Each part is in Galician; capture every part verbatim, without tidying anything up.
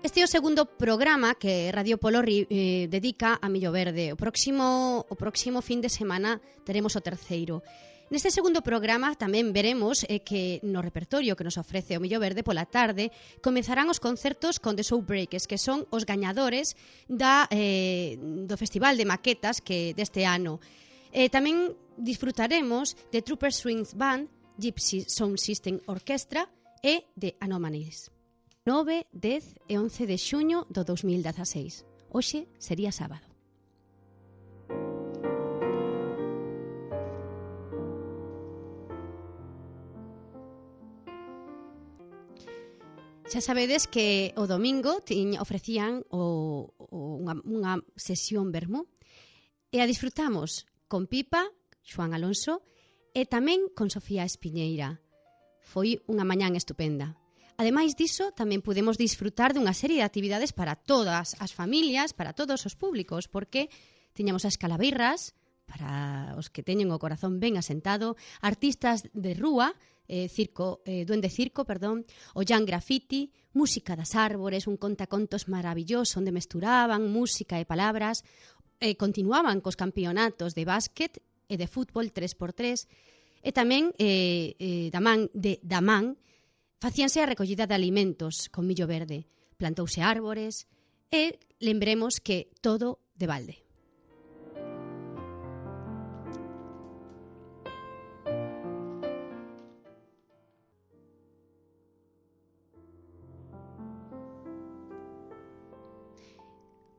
Este é o segundo programa que Radio Polorri eh, dedica a Millo Verde. O próximo, o próximo fin de semana teremos o terceiro. Neste segundo programa tamén veremos eh, que no repertorio que nos ofrece o Millo Verde pola tarde comezarán os concertos con The Showbreakers, que son os gañadores da, eh, do Festival de Maquetas que deste ano. Eh, tamén disfrutaremos de Trooper Strings Band, Gypsy Sound System Orchestra e de Anomalies. nove, dez e once de xuño do dos mil dezaseis. Hoxe sería sábado. Xa sabedes que o domingo tiñ, ofrecían o, o, unha, unha sesión vermú e a disfrutamos con Pipa, Xoán Alonso e tamén con Sofía Espiñeira. Foi unha mañán estupenda. Ademais diso, tamén podemos disfrutar dunha serie de actividades para todas as familias, para todos os públicos, porque tiñamos as calaveiras, para os que teñen o corazón ben asentado, artistas de rúa, eh, circo, eh, duende circo, perdón, o Jan Graffiti, música das árbores, un contacontos maravilloso onde mesturaban música e palabras, eh, continuaban cos campeonatos de básquet e de fútbol tres por tres, e tamén eh, eh, da man de Damán, facíanse a recollida de alimentos con millo verde, plantouse árbores e lembremos que todo de balde.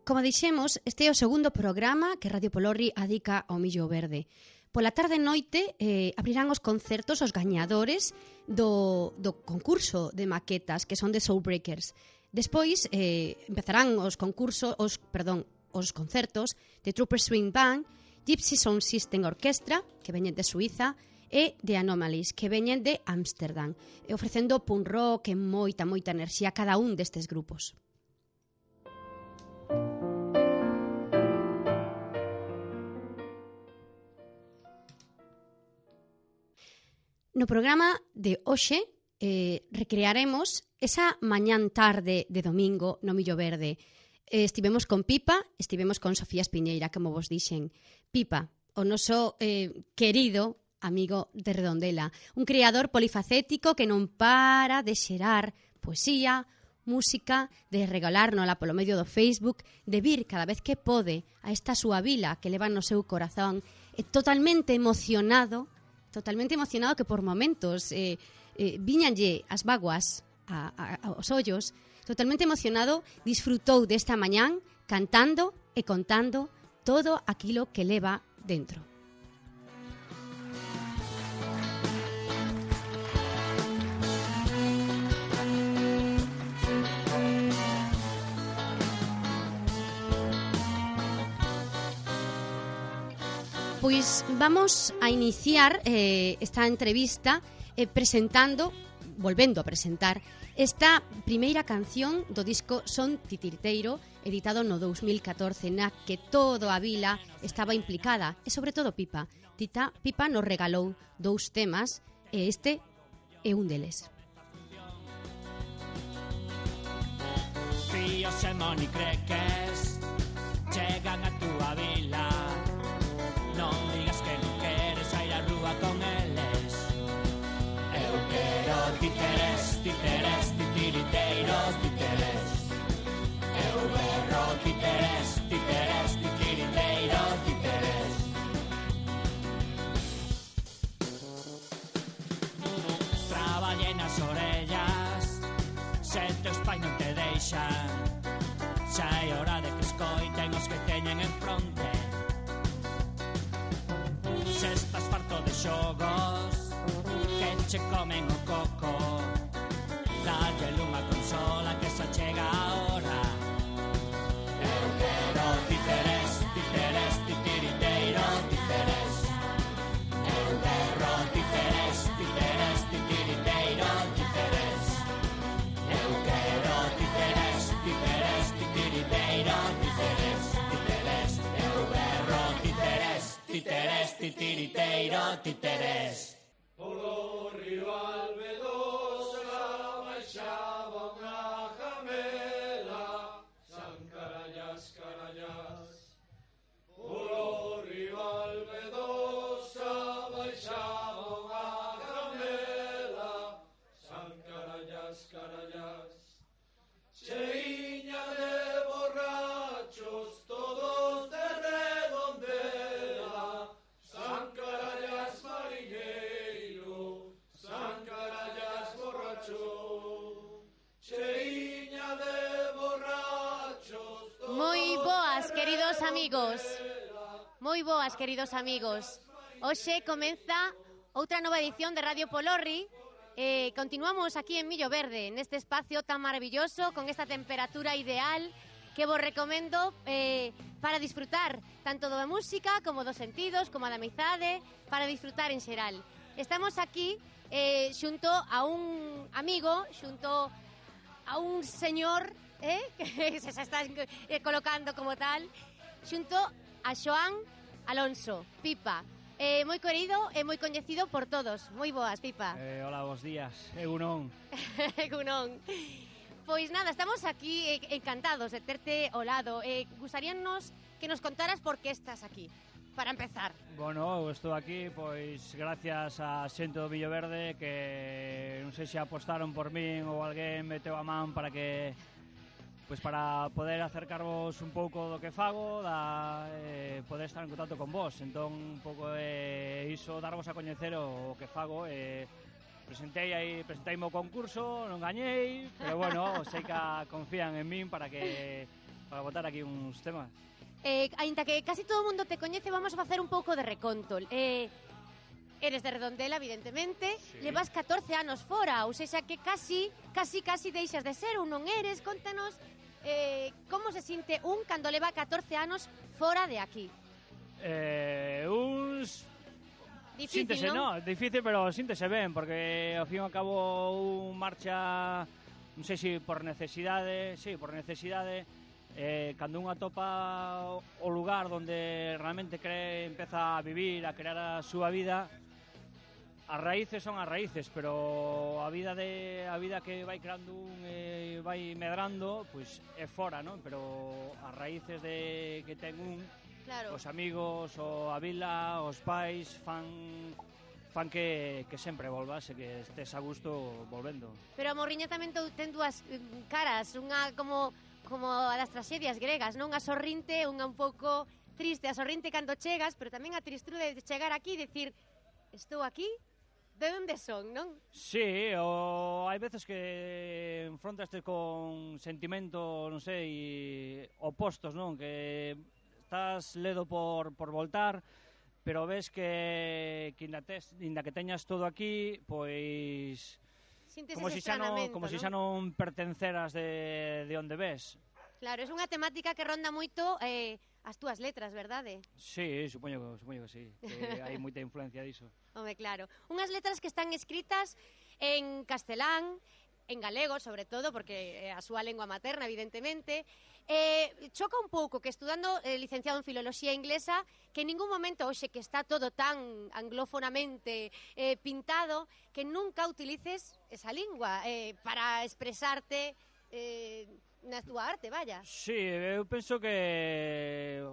Como dixemos, este é o segundo programa que Radio Polorri adica ao millo verde. Pola tarde e noite eh, abrirán os concertos os gañadores do, do concurso de maquetas, que son de Showbreakers. Despois eh, empezarán os concursos, os, perdón, os concertos de Trooper Swing Band, Gypsy Sound System Orchestra, que veñen de Suiza, e de Anomalies, que veñen de Ámsterdam, e ofrecendo punk rock e moita, moita enerxía a cada un destes grupos. No programa de hoxe eh, recrearemos esa mañán tarde de domingo no Millo Verde. Eh, estivemos con Pipa, estivemos con Sofía Espiñeira, como vos dixen. Pipa, o noso eh, querido amigo de Redondela, un creador polifacético que non para de xerar poesía, música, de regalárnola polo medio do Facebook, de vir cada vez que pode a esta súa vila que leva no seu corazón, e totalmente emocionado totalmente emocionado que por momentos eh, eh, viñanlle as vaguas a, a, aos ollos, totalmente emocionado, disfrutou desta mañán cantando e contando todo aquilo que leva dentro. Pois vamos a iniciar eh, esta entrevista eh, presentando, volvendo a presentar, esta primeira canción do disco Son Titiriteiro, editado no dos mil catorce, na que toda a vila estaba implicada, e sobre todo Pipa. Tita, Pipa nos regalou dous temas, e este é un deles. Fíos e monicreques chegan a túa vila. Non digas que non queres ir á rúa con eles. Eu quero títeres, títeres, titiriteiros, títeres. Eu berro títeres, títeres, titiriteiros, títeres. Traballei nas orellas, se teus pais non te deixan. Xa é hora de que escoiten os que teñen en fronte. Se estás farto de xogos que che comen o coco, dalle unha consola que xa chega a hora. Eu quero títeres, títeres, titiriteiros, títeres. Eu quero títeres, títeres, titiriteiros, títeres. Eu quero títeres, títeres, titiriteiros, títeres, títeres. Eu quero títeres, títeres, titiriteiro, títeres. Polo río Albedosa baixaba unha jamela amigos. Moi boas, queridos amigos. Hoxe comeza outra nova edición de Radio Polorri. Eh, continuamos aquí en Millo Verde, neste espacio tan maravilloso, con esta temperatura ideal que vos recomendo eh, para disfrutar tanto da música como dos sentidos, como da amizade, para disfrutar en xeral. Estamos aquí eh, xunto a un amigo, xunto a un señor eh, que se está eh, colocando como tal, xunto a Xoán Alonso, Pipa. Eh, moi querido e moi coñecido por todos. Moi boas, Pipa. Eh, hola, bos días. Eu non. Eu non. Pois nada, estamos aquí eh, encantados de terte ao lado. Eh, gustaríanos que nos contaras por que estás aquí, para empezar. Bueno, eu estou aquí, pois, gracias a xente do Millo Verde que non sei se apostaron por min ou alguén meteu a man para que pois para poder acercarvos un pouco do que fago, da eh, poder estar en contacto con vos. Entón, un pouco eh, iso, darvos a coñecer o, o que fago. Eh, presentei aí, presentei o concurso, non gañei, pero bueno, sei que confían en min para que para botar aquí uns temas. Eh, ainda que casi todo o mundo te coñece, vamos a facer un pouco de reconto. Eh, eres de Redondela, evidentemente, sí. Levas catorce anos fora, ou seja que casi, casi, casi deixas de ser ou non eres. Contanos eh, como se sinte un cando leva catorce anos fora de aquí. Eh, uns... Difícil, síntese, non? No, difícil, pero síntese ben, porque ao fin e ao cabo un marcha, non sei se por necesidade, sí, por necesidade, eh, cando un atopa o lugar onde realmente cree, empeza a vivir, a crear a súa vida, as raíces son as raíces, pero a vida de a vida que vai creando un e eh, vai medrando, pois é fora, non? Pero as raíces de que ten un, claro. Os amigos, o a vila, os pais fan fan que, que sempre volvas e que estés a gusto volvendo. Pero a morriña tamén ten dúas caras, unha como como a das traxedias gregas, non? A sorrinte, unha un pouco triste, a sorrinte cando chegas, pero tamén a tristrude de chegar aquí e dicir, estou aquí, de onde son, non? Sí, o hai veces que enfrontaste con sentimentos, non sei, opostos, non? Que estás ledo por, por voltar, pero ves que, que inda, tes, inda que teñas todo aquí, pois... Como si xa non, como si xa non pertenceras de, de onde ves. Claro, é unha temática que ronda moito eh, as túas letras, verdade? Sí, supoño, supoño que sí, que hai moita influencia diso. Home, claro. Unhas letras que están escritas en castelán, en galego, sobre todo, porque é a súa lengua materna, evidentemente. Eh, choca un pouco que estudando eh, licenciado en Filoloxía Inglesa, que en ningún momento, hoxe que está todo tan anglófonamente eh, pintado, que nunca utilices esa lingua eh, para expresarte eh, na túa arte, vaya. Sí, eu penso que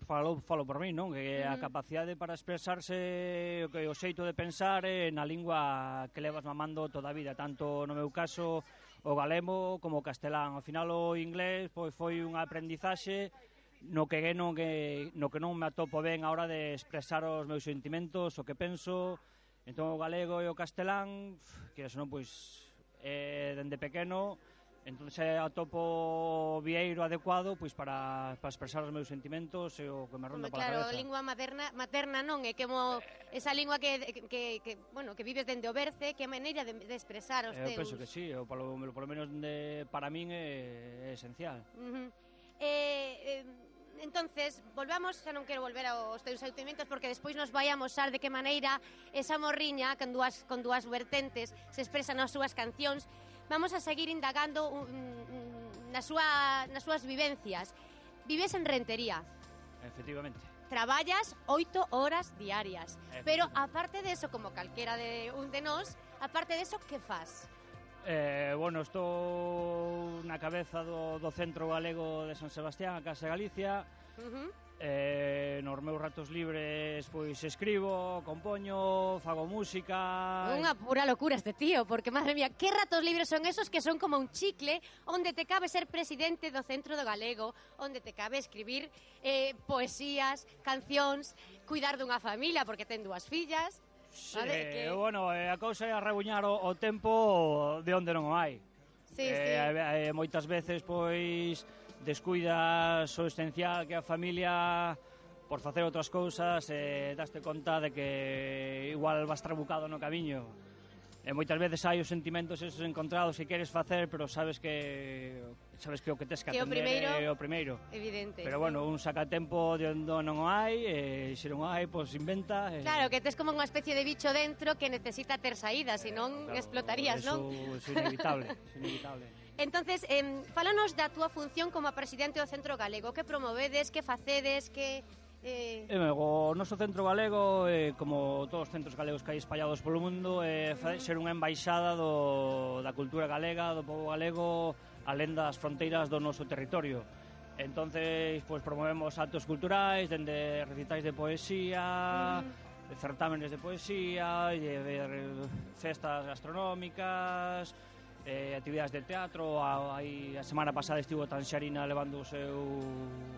falo, falo por mí, non? Que a capacidade para expresarse, que o xeito de pensar é na lingua que levas mamando toda a vida, tanto no meu caso o galego como o castelán. Ao final o inglés pois foi unha aprendizaxe no que non que no que non me atopo ben a hora de expresar os meus sentimentos, o que penso. Entón o galego e o castelán, que eso non pois eh, dende pequeno. Entón se atopo o vieiro adecuado pois para, para expresar os meus sentimentos e o que me ronda pola claro, cabeza. Claro, a lingua materna, materna non, é como esa lingua que, que, que, bueno, que vives dende o berce, que é a maneira de, de expresar os eu teus. Eu penso que sí, o polo, polo menos de, para min é, é esencial. Uh -huh. eh, eh, entonces, volvamos, xa non quero volver aos teus sentimentos porque despois nos vai a amosar de que maneira esa morriña con dúas, con dúas vertentes se expresa nas súas cancións. Vamos a seguir indagando um, um, nas, súa, nas súas vivencias. Vives en Rentería. Efectivamente. Traballas oito horas diarias. Pero, aparte de eso, como calquera de un de nós, aparte de eso, que faz? Eh, bueno, estou na cabeza do, do Centro Galego de San Sebastián, a Casa Galicia. Uh -huh. Eh, nos meus ratos libres pois escribo, compoño, fago música. Unha pura locura este tío, porque madre mía, que ratos libres son esos que son como un chicle onde te cabe ser presidente do Centro do Galego, onde te cabe escribir eh, poesías, cancións, cuidar dunha familia porque ten dúas fillas. Sí, vale, que... bueno, eh, a cousa é a rebuñar o, o tempo de onde non o hai. Sí, eh, sí. Eh, moitas veces pois descuidas o esencial que a familia por facer outras cousas e daste conta de que igual vas trabucado no camiño. E moitas veces hai os sentimentos esos encontrados que queres facer, pero sabes que sabes que o que tes que Que o atender primeiro, é o primeiro. Evidente. Pero bueno, un saca tempo de onde non o hai, e se non o hai, pois inventa. E... Claro, que tes como unha especie de bicho dentro que necesita ter saída, senón claro, explotarías, eso, non? Eso é inevitable, é inevitable. Entonces, eh, fálanos da túa función como a presidente do Centro Galego. Que promovedes, que facedes, que... Eh... E, o noso centro galego, eh, como todos os centros galegos que hai espallados polo mundo, é eh, ser unha embaixada do, da cultura galega, do povo galego, alén das fronteiras do noso territorio. Entonces, pues, promovemos actos culturais, dende recitais de poesía, uh-huh. certámenes de poesía, de, de, de festas gastronómicas, eh, actividades de teatro. A, aí, a semana pasada estivo Tanxarina levando o seu,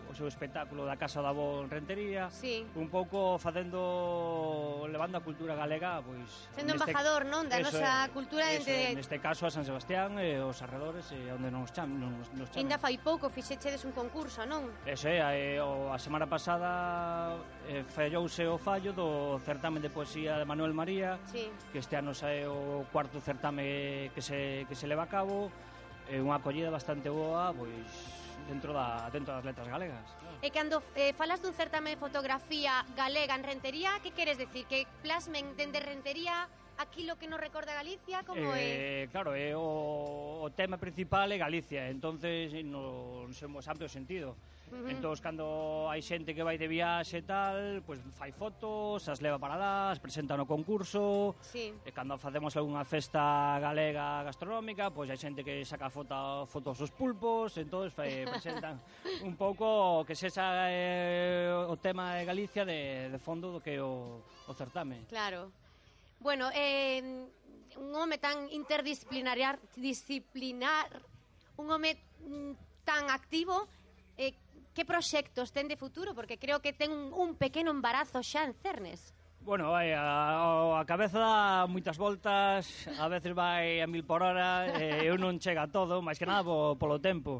o seu espectáculo da Casa da Avó en Rentería. Sí. Un pouco facendo, levando a cultura galega, pois... Sendo neste, embajador, non? Da nosa cultura eso, entre... Neste caso a San Sebastián e os arredores, e onde nos chamen. Nos, nos chamen. Ainda fai pouco fixechedes un concurso, non? Eso é, a, a semana pasada eh, fallouse o fallo do certamen de poesía de Manuel María, sí. que este ano é o cuarto certame que se, que se leva a cabo, é unha acollida bastante boa, pois dentro da dentro das letras galegas. E cando eh, falas dun certame de fotografía galega en Rentería, que queres decir? Que plasmen dende Rentería aquilo que nos recorda Galicia, como eh, é? Claro, é o, o tema principal é Galicia, entonces no, no seu amplio sentido. Uh-huh. Entón, cando hai xente que vai de viaxe e tal, pois fai fotos, as leva para lá, as presenta no concurso. Sí. E cando facemos algunha festa galega gastronómica, pois hai xente que saca foto, fotos dos pulpos, entón fai, presentan un pouco que se esa é o tema de Galicia de, de fondo do que é o, o certame. Claro. Bueno, eh, un home tan interdisciplinar, disciplinar, un home tan activo, eh, que proxectos ten de futuro? Porque creo que ten un, un pequeno embarazo xa en cernes. Bueno, vai, a, a cabeza dá moitas voltas, a veces vai a mil por hora, e eu non chega a todo, máis que nada po, polo tempo.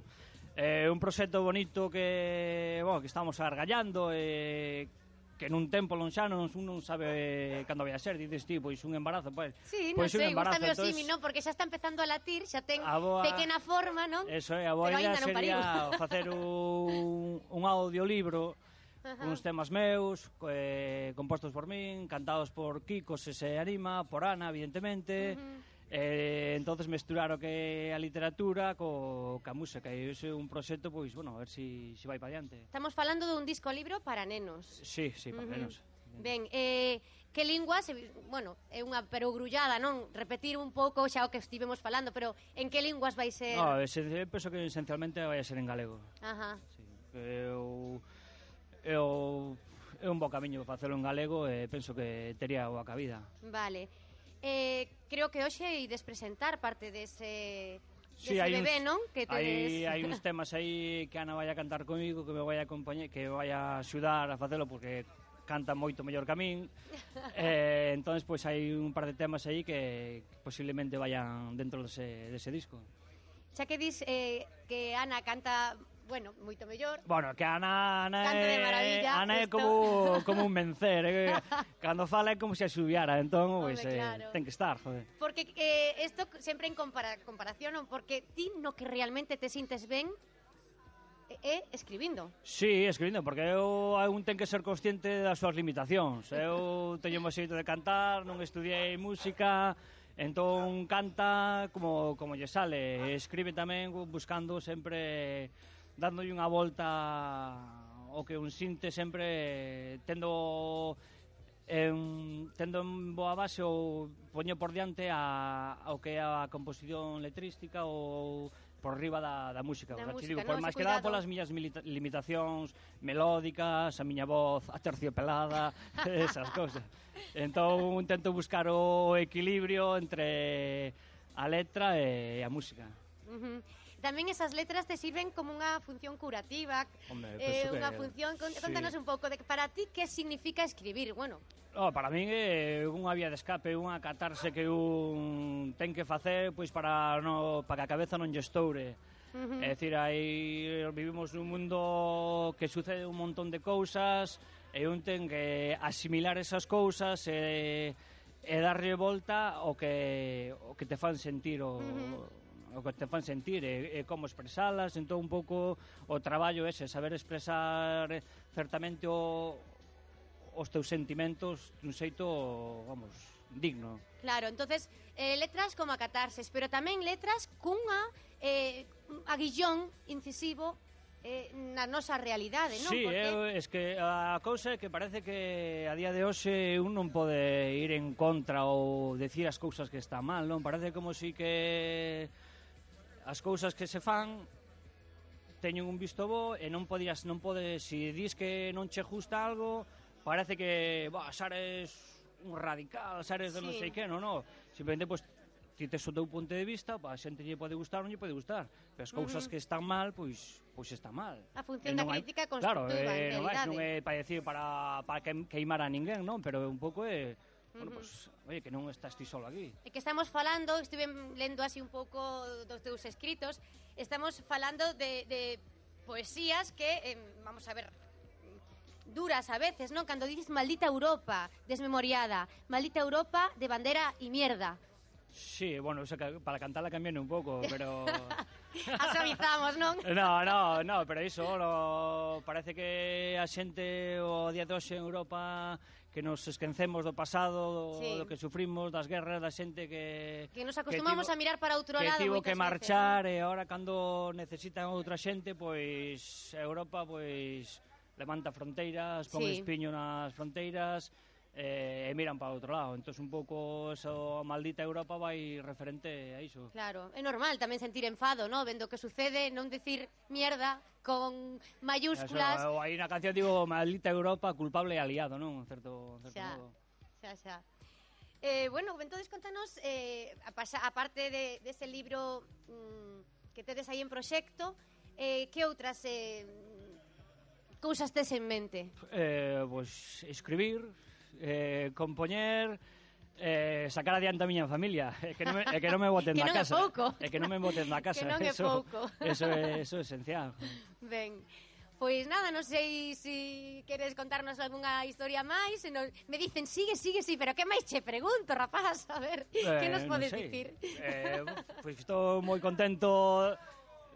É un proxecto bonito que, bueno, que estamos argallando, e que nun tempo lonxano un non sabe cando vai a ser, dices ti, pois un embarazo, pois, sí, non pois sei, un embarazo, gústame o entonces, simi, non? Porque xa está empezando a latir, xa ten boa, pequena forma, non? Eso é, a boa idea sería facer un, un audiolibro con uns temas meus, eh, compostos por min, cantados por Kiko, se se anima, por Ana, evidentemente. Uh-huh. Eh, entonces mesturar o que é a literatura co, ca música, e ese é un proxecto, pois, bueno, a ver si, si vai para diante. Estamos falando dun disco libro para nenos. Sí, sí, para uh-huh. nenos. Ben, eh, que linguas, bueno, é unha perogrullada, non? Repetir un pouco xa o que estivemos falando, pero en que linguas vai ser? No, ese, penso que esencialmente vai a ser en galego. Ajá. Sí, eu, eu, é un bo camiño para facelo en galego, e penso que tería boa cabida. Vale. Eh, creo que hoxe ides presentar parte dese, sí, dese bebé, uns, non? Que tedes... hai, hai uns temas aí que Ana vai a cantar comigo, que me vai a acompañar, que vai a axudar a facelo, porque canta moito mellor que a min. eh, entón, pois, hai un par de temas aí que, que posiblemente vayan dentro dese, dese disco. Xa que dis eh, que Ana canta... Bueno, moito mellor. Bueno, que Ana, Ana Canta de maravilla. Ana é como, como un vencer, eh? Cando fala é como se asubiara, entón, pois, pues, claro. eh, ten que estar, joder. Porque eh, esto sempre en compara, comparación, non? Porque ti no que realmente te sintes ben é escribindo. Sí, escribindo, porque eu un ten que ser consciente das súas limitacións. Eu teño mo xeito de cantar, non estudiei música, entón canta como, como lle sale. Escribe tamén buscando sempre... dándolle unha volta o que un sinte sempre tendo en, tendo en boa base ou poño por diante a, ao que é a composición letrística ou por riba da, da música. Da o sea, música, digo, no, por máis que nada polas miñas limitacións melódicas, a miña voz aterciopelada, esas cousas. Entón intento buscar o equilibrio entre a letra e a música. Uh-huh. Tamén esas letras te sirven como unha función curativa. Hombre, eh, unha que... función, contanos sí. un pouco de para ti que significa escribir. Bueno, oh, para min é unha vía de escape, unha catarse que un ten que facer pois para no para que a cabeza non lle estoure. Uh-huh. É dicir, aí vivimos nun mundo que sucede un montón de cousas e un ten que asimilar esas cousas e, e darlle volta o que, o que te fan sentir o... Uh-huh. o que te fan sentir e, e como expresalas, entón un pouco o traballo ese, saber expresar certamente o, os teus sentimentos dun xeito, vamos, digno. Claro, entonces eh, letras como a catarses, pero tamén letras cunha eh, aguillón incisivo eh, na nosa realidade, non? Sí, Porque... eu, es que a cousa é que parece que a día de hoxe un non pode ir en contra ou decir as cousas que están mal, non? Parece como si que as cousas que se fan teñen un visto bo e non podías, non podes, se dis que non che gusta algo, parece que, bah, sares un radical, sares de sí. non sei que, non, non. Simplemente, pois, pues, ti tes o teu punto de vista, pa a xente lle pode gustar ou non lle pode gustar. Pero as cousas uh-huh. que están mal, pois, pois están mal. A función da crítica constructiva, claro, en realidade. Claro, non é, non é para decir, para, para queimar a ninguén, non? Pero un pouco é... Bueno, pues, oye, que non estás ti solo aquí. É que estamos falando, estive lendo así un pouco dos teus escritos, estamos falando de, de poesías que, eh, vamos a ver, duras a veces, ¿no? Cando dices maldita Europa, desmemoriada, maldita Europa de bandera y mierda. Sí, bueno, o sea, para cantarla cambian un pouco, pero... Asavizamos, non? No, no, no, pero iso, lo... parece que a xente o día de hoxe en Europa que nos esquecemos do pasado, sí. do que sufrimos, das guerras, da xente que... Que nos acostumamos que tivo, a mirar para outro que lado tivo moitas que marchar veces, ¿no? E ahora cando necesitan outra xente, pois Europa, pois levanta fronteiras, pon sí. espiño nas fronteiras eh, e miran para outro lado. Entón un pouco eso, maldita Europa vai referente a iso. Claro, é normal tamén sentir enfado, ¿no? Vendo que sucede, non decir mierda con mayúsculas. Eso, aí na canción digo maldita Europa, culpable e aliado, non? En certo, en certo xa, modo. Xa, xa. Eh, bueno, entonces contanos, eh, a pasa, aparte de, de ese libro mmm, que tedes aí en proxecto, eh, que outras eh, cousas tes en mente? Eh, pues escribir, eh, compoñer, eh, sacar adiante a miña familia, é que non me, é que non me boten na casa. Que non é pouco. É que non me boten na casa. Que non é eso, pouco. Eso é, eso é esencial. Ben, pois nada, non sei se si queres contarnos algunha historia máis, se non... me dicen, sigue, sigue, sí, pero que máis che pregunto, rapaz, a ver, eh, que nos podes no dicir? Eh, pois pues estou moi contento,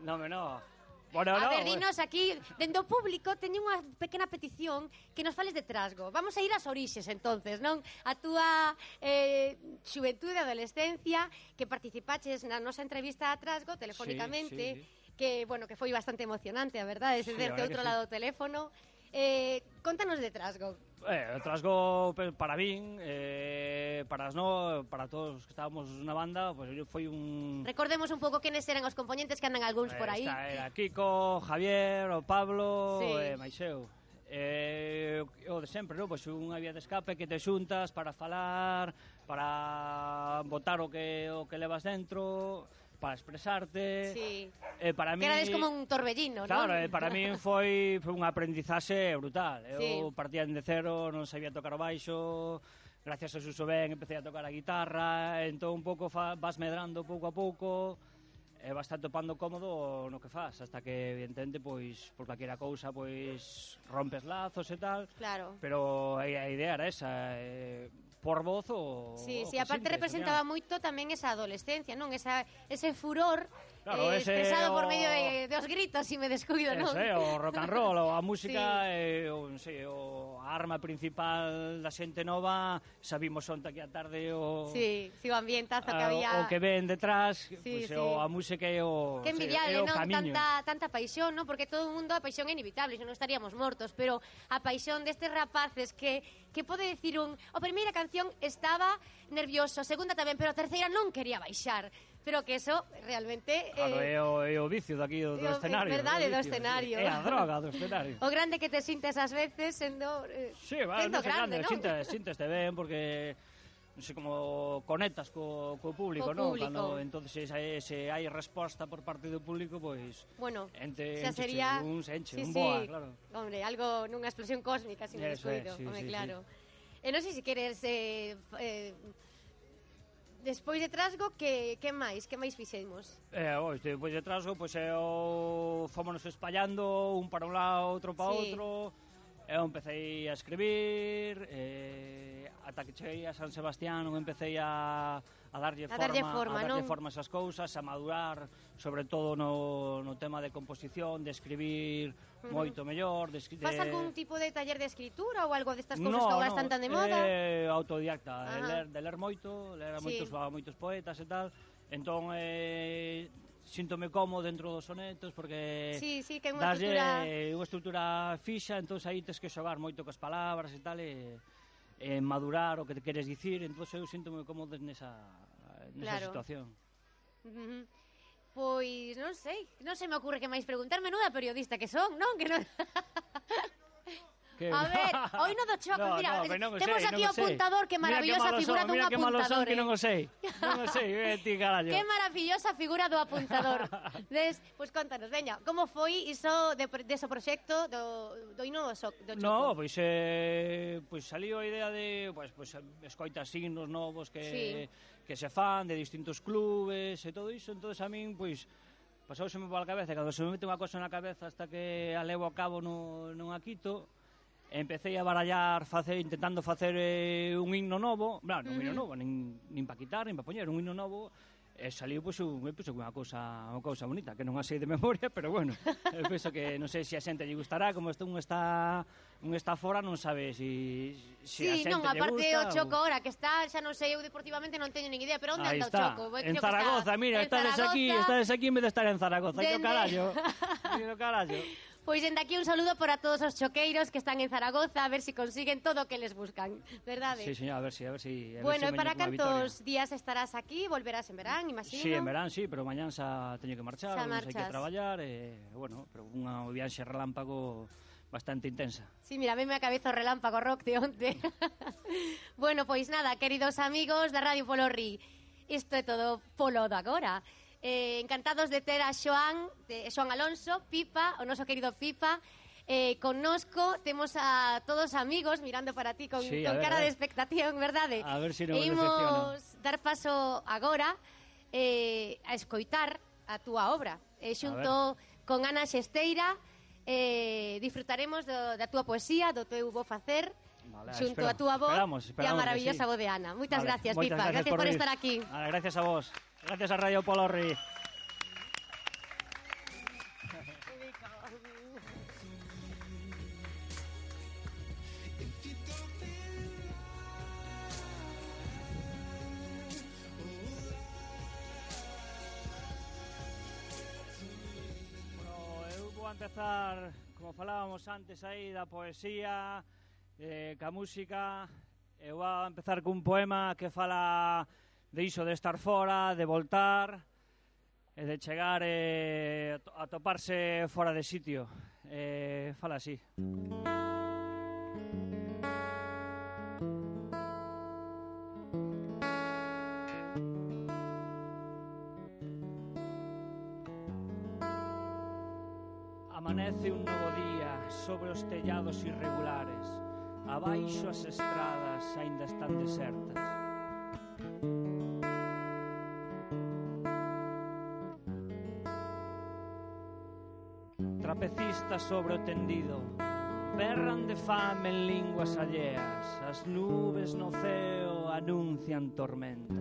non, no, Bueno, a no, ver, dinos aquí, dende o público teño unha pequena petición que nos fales de Trasgo. Vamos a ir ás orixes, entonces, non? A túa eh, xuventude, adolescencia, que participaches na nosa entrevista a Trasgo telefónicamente, sí, sí. que, bueno, que foi bastante emocionante, a verdade, sí, desde outro lado do teléfono. Eh, contanos de Trasgo. Eh, o Trasgo para min, eh, para as no, para todos os que estábamos na banda, pues foi un... Recordemos un pouco quenes eran os componentes que andan algúns por aí. Está, era Kiko, Javier, o Pablo, sí. e Maixeu. Eh, o de sempre, non? Pois unha vía de escape que te xuntas para falar, para botar o que o que levas dentro, para expresarte. Sí. Eh, para que mí, erades como un torbellino, non? Claro, eh, para mí foi, foi un aprendizaxe brutal. Eu sí. partía de cero, non sabía tocar o baixo, gracias a Suso Ben empecé a tocar a guitarra, entón un pouco fa, vas medrando pouco a pouco, e vas estar topando cómodo no que faz, hasta que evidentemente pois por calquera cousa pois rompes lazos e tal. Claro. Pero a, a idea era esa, eh, por voz o... Sí, o sí, aparte simple, representaba sería. moito tamén esa adolescencia, non? Esa, ese furor claro, eh, ese expresado o... por medio de, de os gritos, si me descuido, non? Ese, o rock and roll, o a música, sí. eh, o, non sei, o a arma principal da xente nova, sabimos onta que a tarde o... Sí, sí, o ambientazo que a, había... O que ven detrás, sí, pues, sí. o a música e o... Que envidiable, sí, non? Camiño. Tanta, tanta paixón, non? Porque todo o mundo a paixón é inevitable, se non estaríamos mortos, pero a paixón destes rapaces que, que pode decir un... A primeira canción estaba nervioso, segunda tamén, pero a terceira non quería baixar. Pero que eso realmente... Claro, eh, é, o, é o vicio daqui do, do é escenario. É verdade, do vicio, escenario. É a droga do escenario. O grande que te sintes ás veces sendo... Eh, sí, va, sendo non sei grande, grande, non? sintes, sinteste ben, porque... non sei como conectas co, co público, Co non? público. Cando entonces se, se hai resposta por parte do público, pois bueno, ente, xa sería un se enche, sí, un boa, sí. claro. Hombre, algo nunha explosión cósmica, sin Eso descuido, é, sí, home, sí, claro. Sí. E non sei se queres eh, eh, despois de Trasgo, que, que máis? Que máis fixemos? Eh, oh, despois de Trasgo, pois pues, eu fomos espallando un para un lado, outro para Sí. outro. Eu empecé a escribir, eh, ata que cheguei a San Sebastián, eu empecé a, a darlle A forma, darlle forma, a darlle non? forma a esas cousas, a madurar, sobre todo no, no tema de composición, de escribir Ujú. moito mellor, de, escri- Faz de... algún tipo de taller de escritura ou algo destas cousas no, que agora no, están tan de moda? Eh, autodidacta, de Ajá. ler, de ler moito, ler a Sí. moitos, a moitos poetas e tal. Entón, eh, síntome cómodo dentro dos sonetos porque Sí, sí, que é unha daslle estrutura... unha estrutura fixa, entón aí tes que xogar moito cos palabras e tal e, e madurar o que te queres dicir, entón eu síntome cómodo nesa, nesa Claro. situación. Ujú. Pois non sei, non se me ocurre que máis preguntar, menuda periodista que son, non? Que non... Que... A ver, hoy no do choco, no, mira, no, pero non o temos sei, aquí non o o sei. apuntador, que Mira maravillosa malos figura son, dun mira que malos son apuntador, que non eh. o sei. Non o sei, eh, ti carallo. Que maravillosa figura do apuntador. Des, pois contanos, veña, como foi iso de, de ese proxecto do, do hino do, so, do choco? No, pois eh, pois saliu a idea de, pois pois escoitas signos novos que Sí. que se fan de distintos clubes e todo iso, entonces a min pois pasouseme pola cabeza, cando se me mete unha cosa na cabeza hasta que a levo a cabo no, non a quito. Empecé a barallar, facer, intentando facer eh, un himno novo, bueno, un himno novo, nin, nin pa quitar, nin pa poñer, un himno novo, e saliu pois, un, pois, unha cousa, unha cousa bonita, que non a sei de memoria, pero bueno, eu penso que non sei se a xente lle gustará, como este un está un está fora, non sabe si, si a Sí, xente non, lle aparte gusta. o Choco ahora que está, xa non sei, eu deportivamente non teño nin idea, pero onde Aí anda o está, Choco? Eu en creo que Zaragoza, está mira, en estades aquí, Zaragoza. estades aquí en vez de estar en Zaragoza, que o Dende- carallo, que o carallo. Pois dende aquí un saludo para todos os choqueiros que están en Zaragoza, a ver si consiguen todo o que les buscan, verdade? Sí, señor, a ver si, a ver si, a ver Bueno, si e para veño cunha cantos días estarás aquí? Volverás en verán, imagino? Sí, en verán, sí, pero mañán xa teño que marchar, Xa non hai que marchas. traballar, e, bueno, pero unha viaxe relámpago bastante intensa. Sí, mira, a mí me cabeza o relámpago rock de onte. Bueno, pois nada, queridos amigos da Radio Polo Ri, isto é todo polo de agora. Eh, encantados de ter a Xoan, de Xoan Alonso, Pipa, o noso querido Pipa, eh, connosco, temos a todos amigos mirando para ti con, Sí, a con ver, cara a ver. de expectación, verdade? A ver si non E me imos dar paso agora eh, a escoitar a túa obra. Eh, xunto con Ana Xesteira, eh, disfrutaremos do, da túa poesía, do teu bo facer, Vale, xunto espero- a túa voz esperamos, e a esperamos que maravillosa sí. voz de Ana. Moitas Vale, gracias, moitas Pipa. Gracias, por, vir. estar aquí. Vale, gracias a vos. Gracias a Radio Polo Ri. Bueno, eu vou a empezar, como falábamos antes aí, da poesía, eh, ca música. Eu vou a empezar cun poema que fala de iso, de estar fora, de voltar, e de chegar eh, a toparse fora de sitio. Eh, fala así. Amanece un novo día sobre os tellados irregulares. Abaixo as estradas aínda están desertas. Trapecistas sobre o tendido berran de fame en linguas alleas. As nubes no ceo anuncian tormenta.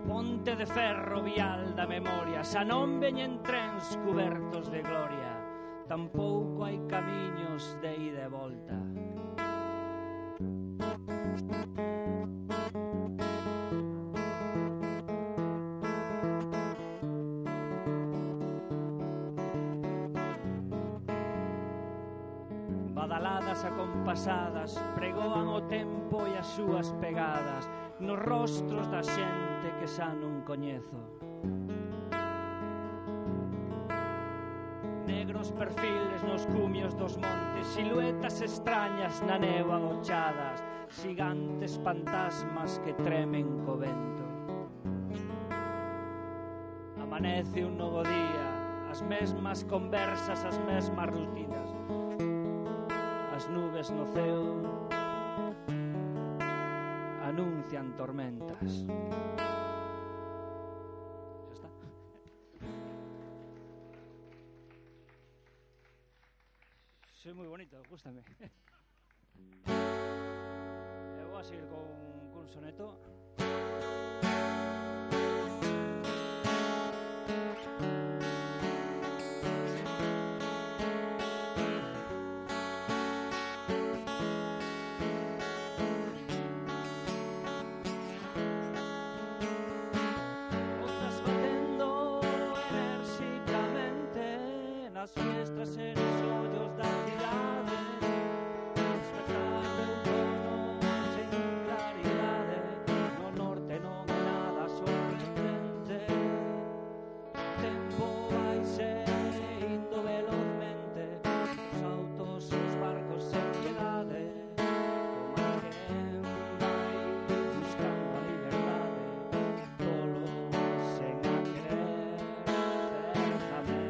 Ponte de ferro vial da memoria, xa non veñen trens cubertos de gloria, tampouco hai camiños de ida e volta. Badaladas acompasadas pregoan o tempo e as súas pegadas nos rostros da xente que xa non coñezo. Negros perfiles nos cumios dos montes, siluetas extrañas na neva agochadas, xigantes fantasmas que tremen co vento. Amanece un novo día, as mesmas conversas, as mesmas rutinas, as nubes no ceo anuncian tormentas. Xa está. Soy moi bonito, gústame. E vou a seguir con, con un soneto. Nas fiestras e nos ollos da cidade, despertando outono sen claridade. No norte non é nada sorprendente, o tempo vaise indo velozmente, os autos, os barcos sen piedade, como alguén vai buscando a liberdade, tolo sen a querer, certamente.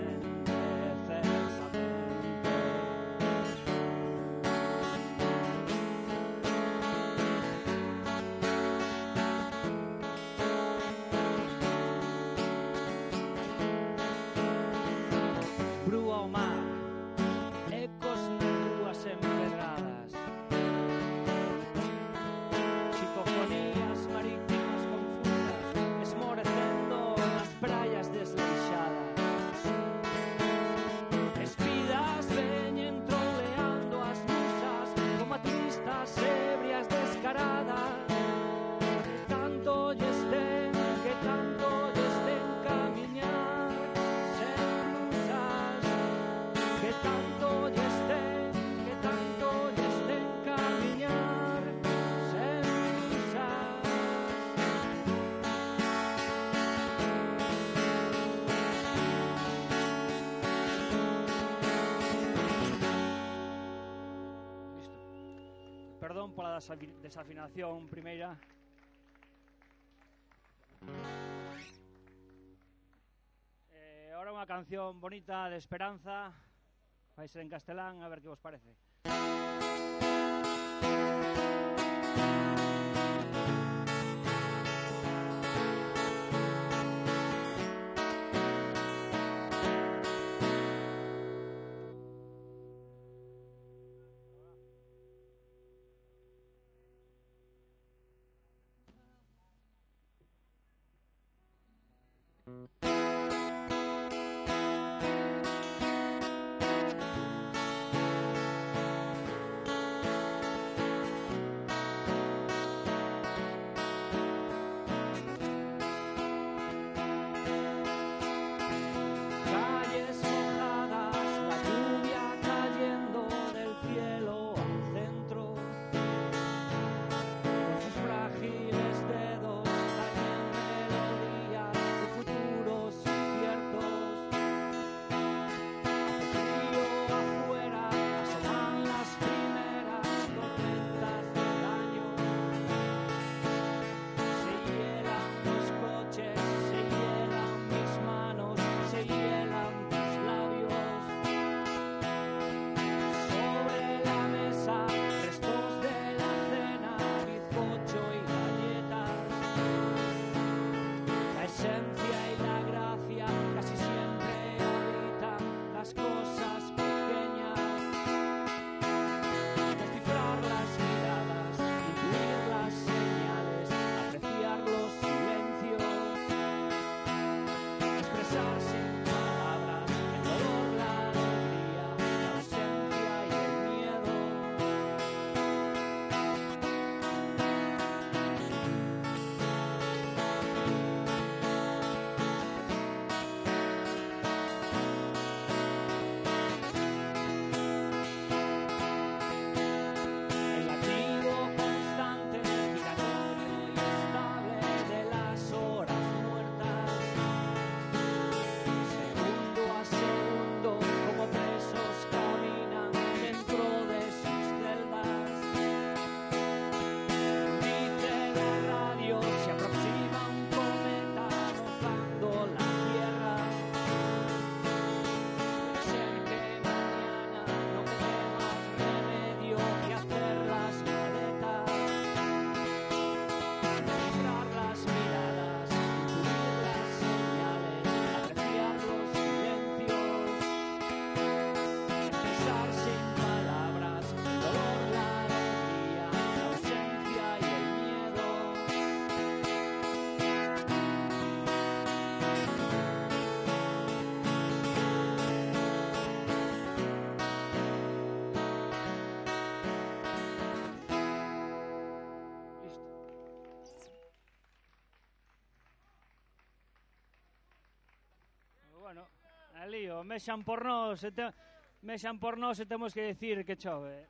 Brúa ao mar, ecos nas rúas empedradas, psicofonías marítimas confusas, esmorecendo nas praias desleixadas. Espidas veñen troleando as musas como turistas ebrias descaradas. Que tanto lles ten, que tanto lles ten camiñar sen musas. Que tanto lles ten, que tanto lles ten camiñar sen musas. Listo. Perdón pola desafi- desafinación primeira. Eh, ahora unha canción bonita de esperanza. Vai ser en castelán, a ver que vos parece. Calles mojadas, la lluvia cayendo del cielo al centro, con sus frágiles dedos tañen melodías de futuros Alío, mexan por nós, e te... mexan por nós e temos que decir que chove.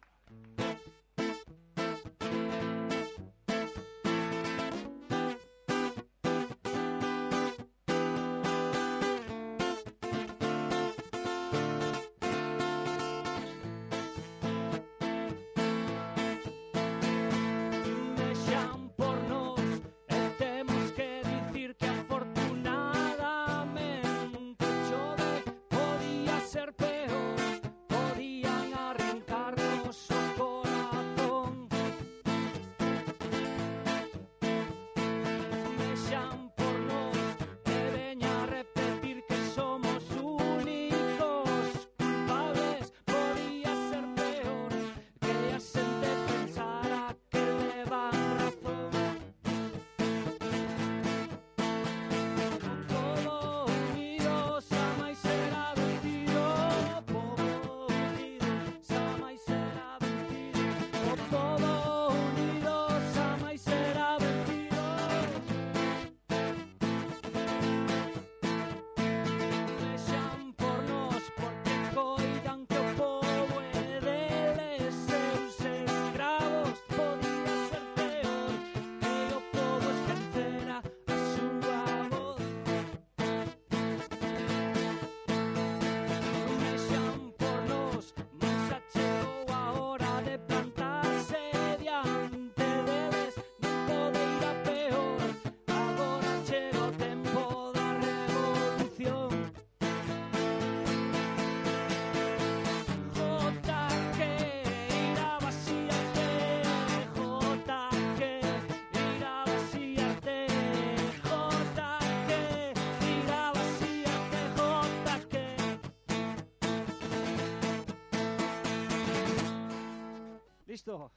Listo.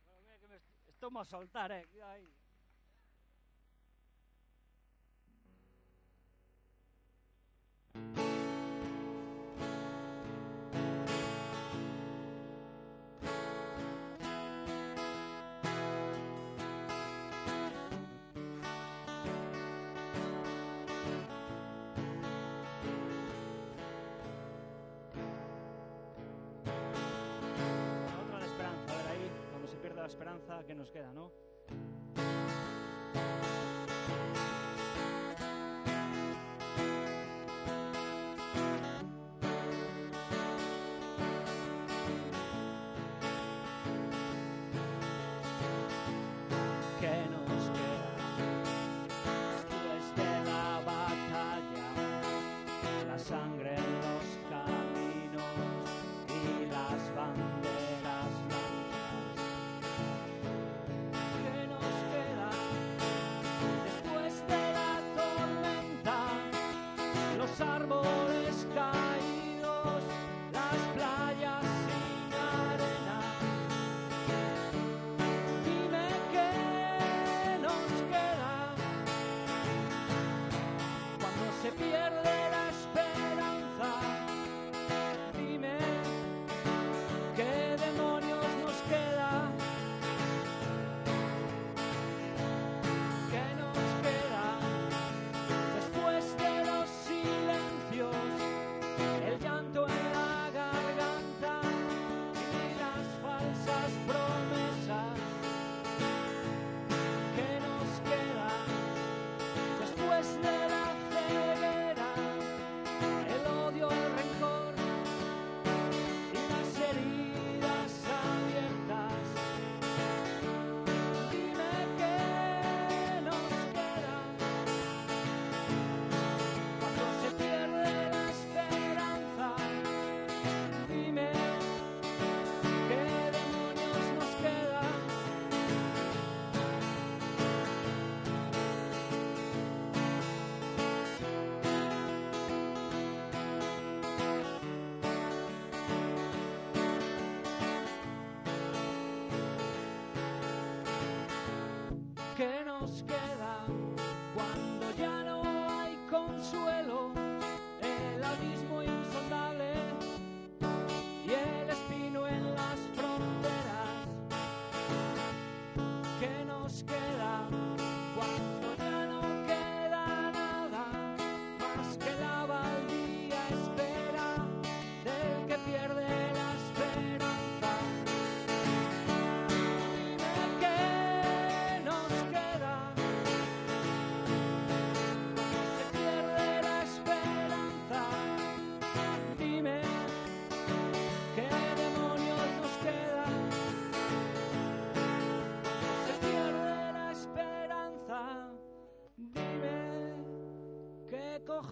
Bueno, mira que me estou a soltar, eh. Ai. La esperanza que nos queda, ¿no? ¿Qué nos queda después de la batalla? La sangre en los caminos y las banderas blancas. Que nos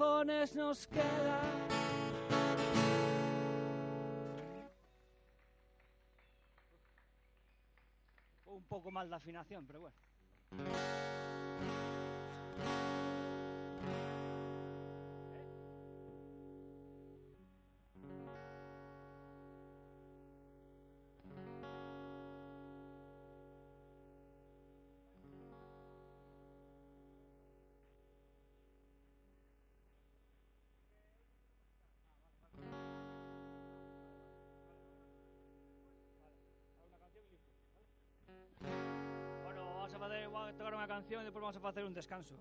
cojones nos queda? Un poco mal de afinación, pero bueno. Vamos a tocar unha canción e depois vamos a facer un descanso.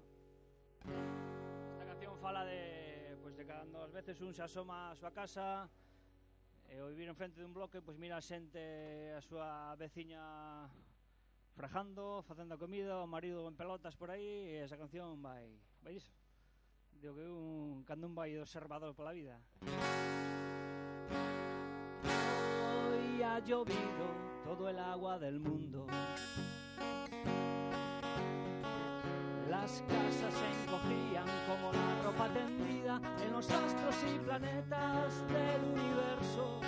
Esta canción fala de, pues, de cando ás veces un se asoma a súa casa e ao vivir en frente dun bloque, pois mira a xente, a súa veciña frajando, facendo a comida, o marido en pelotas por aí, e esa canción vai, vai iso. Digo que un, cando un vai observador pola vida. Hoy ha llovido todo el agua del mundo. Las casas se encogían como la ropa tendida en los astros y planetas del universo.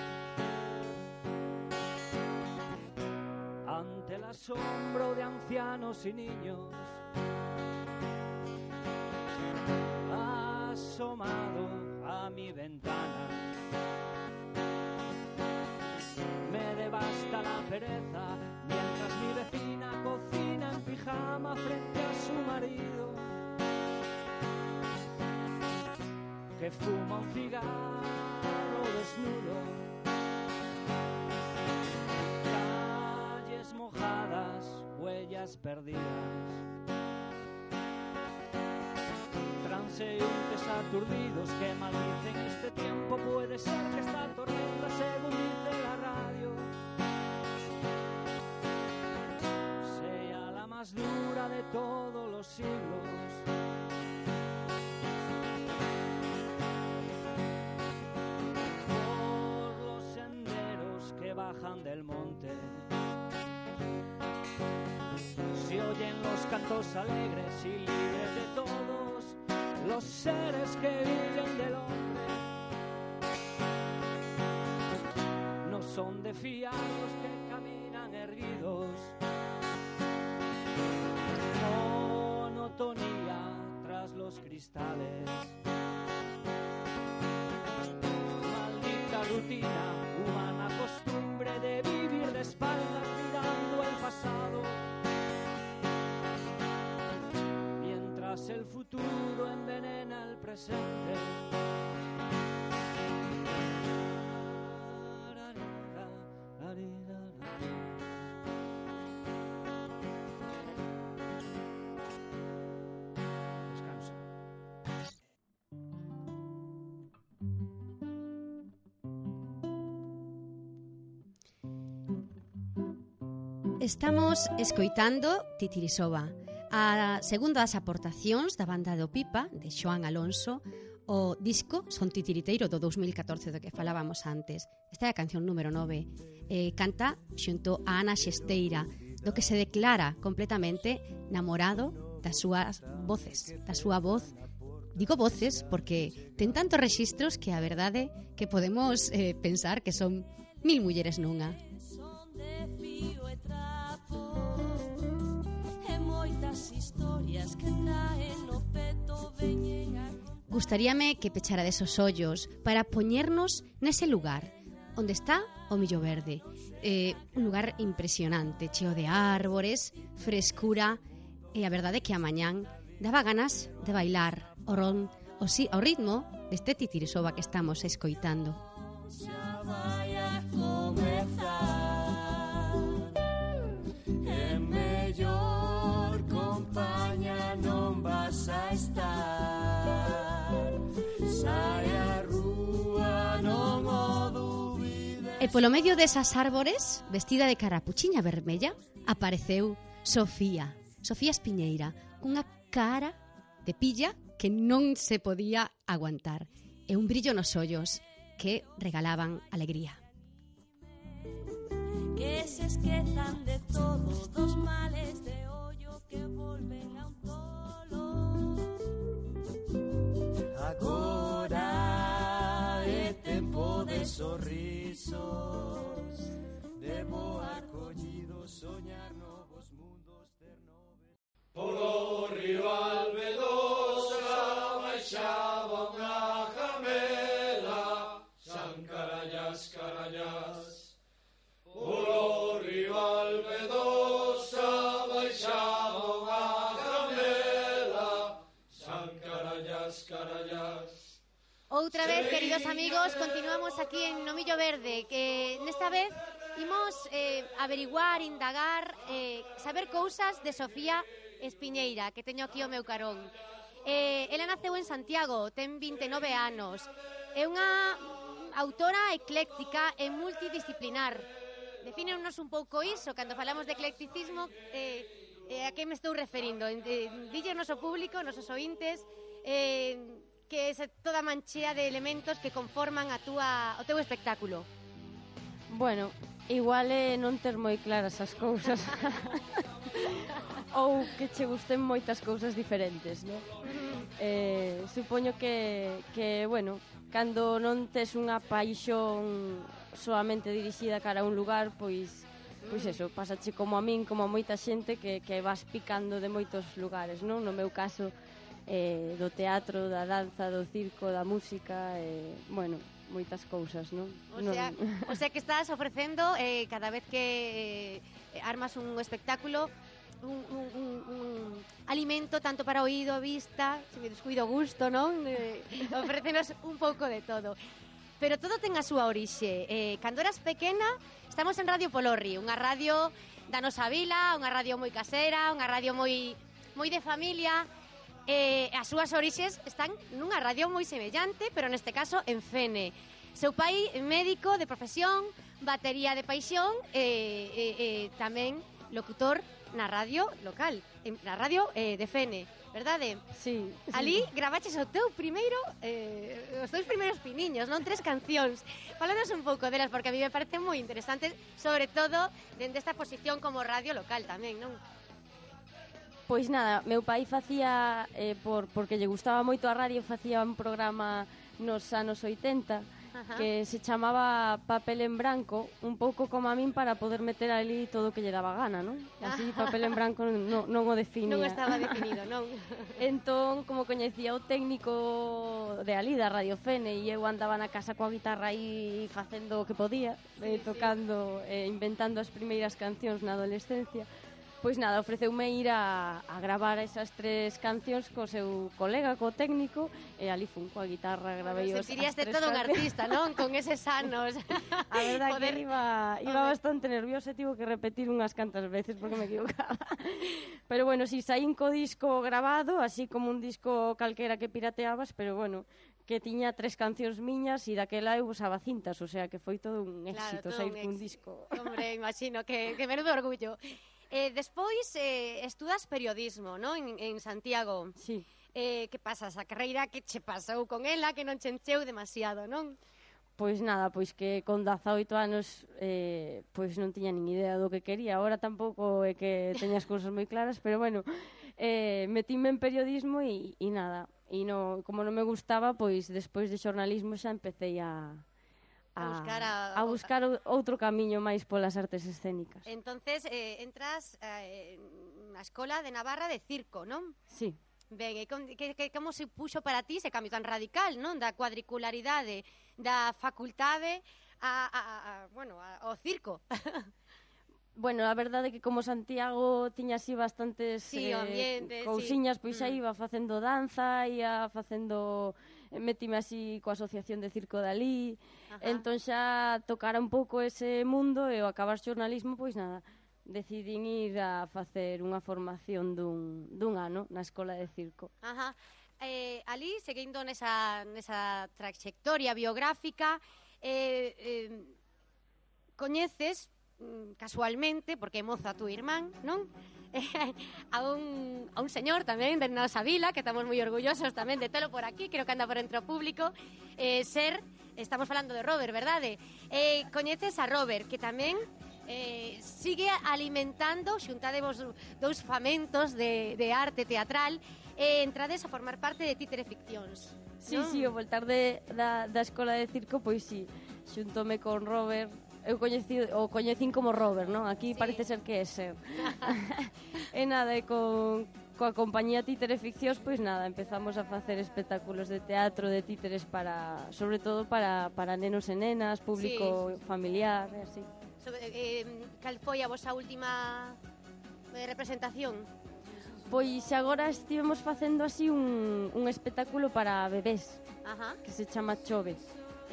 Ante el asombro de ancianos y niños, asomado a mi ventana, me devasta la pereza mientras mi vecina cocina en pijama frente a su marido, que fuma un cigarro desnudo. Calles mojadas, huellas perdidas, transeúntes aturdidos que maldicen este tiempo. Puede ser que esta tormenta, según dice la radio, sea la más dura de todos los siglos. Por los senderos que bajan del monte se oyen los cantos alegres y libres de todos los seres que viven del hombre. No son de fiar los que caminan erguidos. Monotonía tras los cristales. Maldita rutina, humana costumbre de vivir de espaldas mirando el pasado, mientras el futuro envenena el presente. Descanso. Estamos escoitando Titirisoba, a segunda das aportacións da banda do Pipa, de Xoán Alonso, o disco Son Titiriteiro do dous mil catorce do que falábamos antes. Esta é a canción número nove. Eh, canta xunto a Ana Xesteira, do que se declara completamente namorado das súas voces, da súa voz. Digo voces porque ten tantos rexistros que a verdade que podemos eh, pensar que son mil mulleres nunha. Gustaríame que pecharades os ollos para poñernos nese lugar onde está o Millo Verde, eh, un lugar impresionante, cheo de árbores, frescura, e a verdade é que a mañán daba ganas de bailar o, ron, o, si, o ritmo deste Titirisoba que estamos escoitando. Xa vai a comezar, e mellor compañía non vas a estar, sai a rúa non o dubides. E polo medio desas árbores, vestida de carapuchiña vermella, apareceu Sofía, Sofía Espiñeira, cunha cara de pilla que non se podía aguantar, e un brillo nos ollos que regalaban alegría. Que se esquezan de todos os males de ollo que volven a un tolo. rival vedosa baixaba unha jamela, san carallas, carallas. Polo rival vedosa baixaba unha jamela, san carallas, carallas. Outra vez, queridos amigos, continuamos aquí en Nomillo Verde, que nesta vez imos eh, averiguar, indagar, eh, saber cousas de Sofía Espiñeira, que teño aquí o meu carón. Eh, ela naceu en Santiago, ten vinte e nove anos. É unha autora ecléctica e multidisciplinar. Defínenos un pouco iso, cando falamos de eclecticismo, eh, eh, a que me estou referindo? Eh, Dille ao noso público, nosos ointes, eh, que é toda manchea de elementos que conforman a túa, o teu espectáculo. Bueno, igual é non ter moi claras as cousas ou que che gusten moitas cousas diferentes, non? Eh, supoño que, que, bueno, cando non tes unha paixón soamente dirixida cara a un lugar, pois, pois eso, pasache como a min, como a moita xente que, que vas picando de moitos lugares, non? No meu caso, eh, do teatro, da danza, do circo, da música, eh, bueno, moitas cousas, non? O sea, non... o sea que estás ofrecendo eh, cada vez que eh, armas un espectáculo un, un, un, un alimento tanto para oído, vista, se me descuido gusto, non? Eh, ofrécenos un pouco de todo. Pero todo ten a súa orixe. Eh, cando eras pequena, estamos en Radio Polorri, unha radio da nosa vila, unha radio moi casera, unha radio moi moi de familia. Eh, as súas orixes están nunha radio moi semellante, pero neste caso en Fene. Seu pai médico de profesión, batería de paixón e eh, eh, eh, tamén locutor na radio local, na radio eh, de Fene, verdade? Sí. Ali gravaches o teu primeiro, eh, os teus primeiros piniños, non? Tres cancións. Fálanos un pouco delas, porque a mí me parece moi interesante, sobre todo dende esta posición como radio local tamén, non? Pois nada, meu pai facía, eh, por, porque lle gustaba moito a radio, facía un programa nos anos oitenta, ajá, que se chamaba Papel en Branco, un pouco como a min para poder meter ali todo o que lle daba gana, non? Así Papel en Branco non, non o definía. Non estaba definido, non? Entón, como coñecía o técnico de ali, da Radio Fene, e eu andaba na casa coa guitarra aí facendo o que podía, eh, tocando, eh, inventando as primeiras cancións na adolescencia. Pois nada, ofreceume ir a, a gravar esas tres cancións co seu colega, co técnico, e ali fun coa guitarra, gravei os, as tres Sentiríaste todo un artista, non? Con eses anos. A verdade Poder... que iba, iba bastante nerviosa e tivo que repetir unhas cantas veces porque me equivocaba. Pero bueno, si saín co disco grabado, así como un disco calquera que pirateabas, pero bueno, que tiña tres cancións miñas e daquela eu usaba cintas, o sea que foi todo un éxito, claro, sair cun disco. Hombre, imagino que, que menudo orgullo. Eh, despois eh, estudas periodismo, non? En, en Santiago. Sí. Eh, que pasa? Esa carreira que che pasou con ela, que non che encheu demasiado, non? Pois nada, pois que con dezaoito anos eh, pois non tiña nin idea do que quería. Ahora tampouco é que teña as cousas moi claras, pero bueno, eh, metíme en periodismo e, e nada. E no, como non me gustaba, pois despois de xornalismo xa empecé a... A, a buscar, a, a buscar outro camiño máis polas artes escénicas. Entonces, eh, entras eh, na Escola de Navarra de Circo, non? Sí. Ben, e con, que, que, como se puxo para ti ese cambio tan radical, non? Da cuadricularidade, da facultade a, a, a, bueno, a, ao circo. Bueno, a verdade é que como Santiago tiña así bastantes sí, eh, ambiente, cousiñas, sí. Pois aí iba facendo danza, ia facendo... Metime así coa asociación de circo de ali, entón xa tocara un pouco ese mundo e ao acabar xornalismo, pois nada, decidín ir a facer unha formación dun, dun ano na Escola de Circo. Ajá. Eh, ali, seguindo nesa, nesa trayectoria biográfica, eh, eh, coñeces casualmente, porque é moza tu irmán, non? a, un, a un señor tamén de nosa vila, que estamos moi orgullosos tamén de telo por aquí, creo que anda por entre o público, eh, ser, estamos falando de Robert, verdade? Eh, coñeces a Robert, que tamén eh, sigue alimentando, xuntadevos dous famentos de, de arte teatral, e eh, entrades a formar parte de Títere Ficcións. Sí, non? sí, o voltar de, da, da Escola de Circo, pois sí, xuntome con Robert. Eu coñeci, o coñecín como Robert, non? Aquí sí. Parece ser que é ser. E nada, e con, coa compañía Títere Ficcións, pois nada, empezamos a facer espectáculos de teatro, de títeres para, sobre todo para, para nenos e nenas, público sí. familiar, e así. Sobre, eh, cal foi a vosa última eh, representación? Pois agora estivemos facendo así un, un espectáculo para bebés, Ajá. que se chama Chove.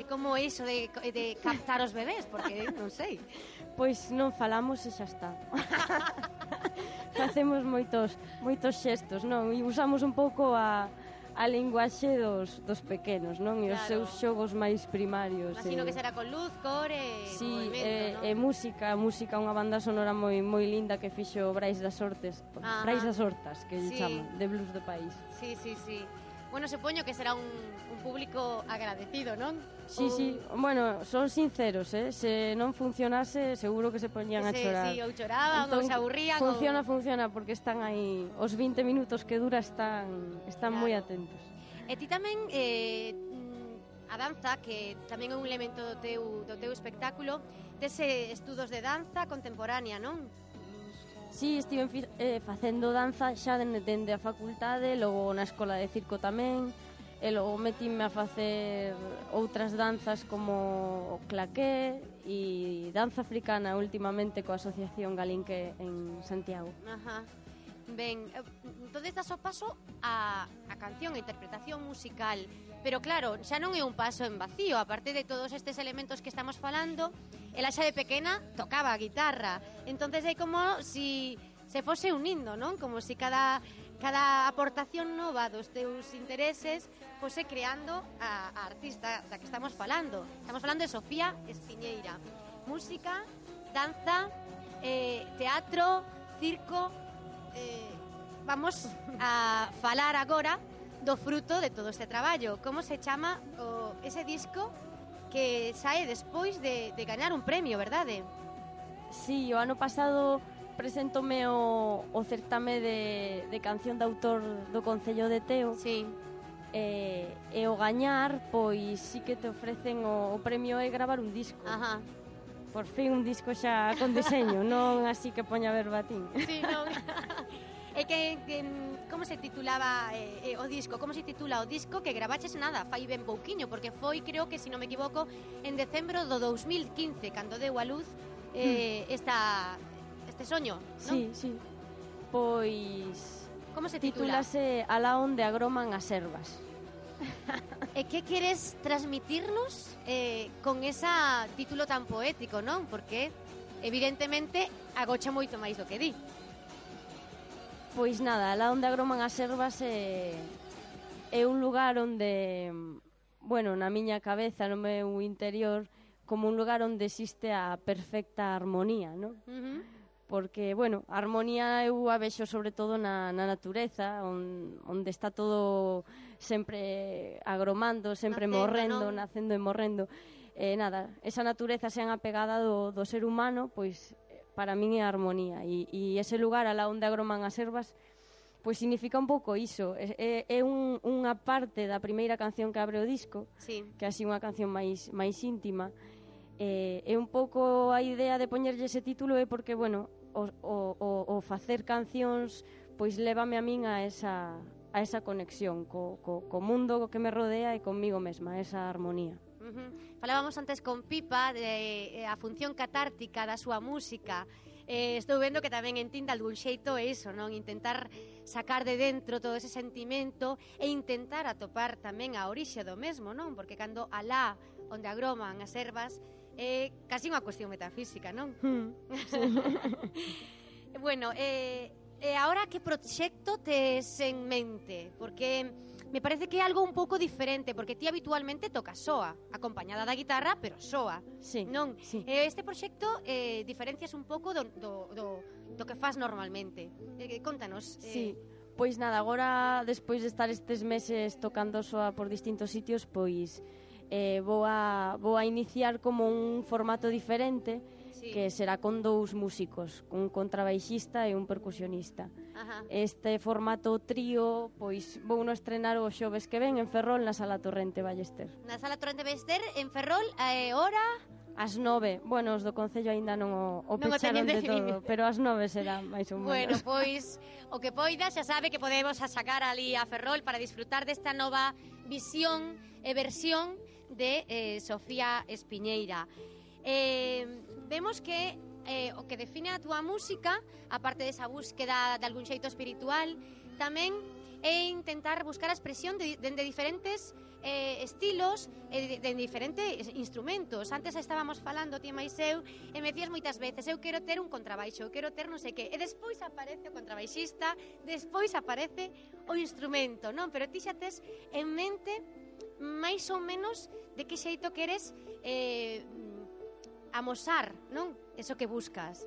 E como é iso de, de captar os bebés? Porque non sei. Pois non falamos e xa está. Facemos moitos moitos xestos, non? E usamos un pouco a, a linguaxe dos, dos pequenos, non? E os Claro. seus xogos máis primarios. Imagino e... que será con luz, cor e Sí, movimento, e, e non? música, música, unha banda sonora moi moi linda que fixo Brais das Hortas, Ajá. Brais das Hortas, que lle Sí. chaman, de blues do país. Sí, sí, sí. Bueno, supoño que será un, un público agradecido, non? Sí, Un- sí, bueno, son sinceros, eh? Se non funcionase, seguro que se poñían a Se- chorar. Sí, ou choraban, ou se aburrían. Funciona, ou... funciona, porque están aí, os vinte minutos que dura están están Claro. moi atentos. E ti tamén, eh, mm, a danza, que tamén é un elemento do teu, do teu espectáculo, dese estudos de danza contemporánea, non? Sí, estive fi- eh, facendo danza xa dende, dende a facultade, logo na escola de circo tamén, e logo metíme a facer outras danzas como o claqué e danza africana últimamente coa Asociación Galinque en Santiago. Ajá. Ben, eh, entonces das o paso a, a canción, a interpretación musical. Pero claro, xa non é un paso en vacío. Aparte de todos estes elementos que estamos falando, ela xa de pequena tocaba a guitarra. Entonces é como si se fose unindo, non? Como si cada, cada aportación nova dos teus intereses fose creando a, a artista da que estamos falando. Estamos falando de Sofía Espiñeira. Música, danza, eh, teatro, circo... Eh, vamos a falar agora do fruto de todo este traballo. Como se chama o, ese disco que sae despois de, de gañar un premio, verdade? Sí, o ano pasado presentome o, o certame de, de canción de autor do Concello de Teo. Sí. E, e o gañar, pois sí que te ofrecen o, o premio é gravar un disco. Ajá. Por fin un disco xa con diseño, non así que poña verbatín. Sí, non. E que, que como se titulaba eh, eh, o disco? Como se titula o disco que gravaches nada, fai ben pouquiño, porque foi, creo que, se non me equivoco, en decembro do dous mil quince, cando deu a luz eh, esta, este soño, non? Sí, sí. Pois Como se titula? titúlase Alá onde agroman as ervas. E que queres transmitirnos eh, con esa título tan poético, non? Porque, evidentemente, agocha moito máis do que di. Pois nada, Alá onde agroman as ervas é, é un lugar onde, bueno, na miña cabeza, no meu interior, como un lugar onde existe a perfecta armonía, non? Uh -huh. Porque, bueno, a armonía eu a vexo sobre todo na, na natureza, on, onde está todo sempre agromando, sempre Nacendo, morrendo, non? nacendo e morrendo. E nada, esa natureza sean apegada do, do ser humano, pois para min é a armonía. E, e ese lugar alá onde agroman as ervas, pois significa un pouco iso. É, é un, unha parte da primeira canción que abre o disco, Sí. que é así unha canción máis, máis íntima. E, é un pouco a idea de poñerlle ese título é porque, bueno, o, o, o, o facer cancións pois lévame a min a esa, a esa conexión co, co, co mundo que me rodea e conmigo mesma, esa armonía. Uh -huh. Falábamos antes con Pipa de eh, a función catártica da súa música. Eh, estou vendo que tamén en Tinda algún xeito é iso, non? Intentar sacar de dentro todo ese sentimento e intentar atopar tamén a orixe do mesmo, non? Porque cando alá onde agroman as ervas é casi unha cuestión metafísica, non? Hmm. Bueno, eh, e agora que proxecto tes en mente? Porque me parece que é algo un pouco diferente, porque ti habitualmente tocas soa, acompañada da guitarra, pero soa, Sí, non? sí. Eh, este proxecto eh, diferencias un pouco do, do, do, do que faz normalmente. Eh, contanos. Eh, Sí, pois nada, agora despois de estar estes meses tocando soa por distintos sitios, pois eh, vou, a, vou a iniciar como un formato diferente, sí. que será con dous músicos, un contrabaixista e un percusionista. Ajá. Este formato trío, pois vou no estrenar o xoves que ven en Ferrol na Sala Torrente Ballester. Na Sala Torrente Bester, en Ferrol, eh, hora... As nove, bueno, os do Concello aínda non o, o Non o pecharon teñen de definido. todo, pero as nove será máis ou menos. Bueno, pois, o que poida, xa sabe que podemos a sacar ali a Ferrol para disfrutar desta nova visión e versión de eh, Sofía Espiñeira. Eh, vemos que eh, o que define a túa música, aparte desa búsqueda de algún xeito espiritual, tamén é intentar buscar a expresión de, de, de diferentes eh, estilos e de, de diferentes instrumentos. Antes estábamos falando, ti máis eu, e me decías moitas veces, eu quero ter un contrabaixo, eu quero ter non sei que, e despois aparece o contrabaixista, despois aparece o instrumento, non? Pero ti xa tes en mente máis ou menos de que xeito queres eh, amosar, non? Eso que buscas.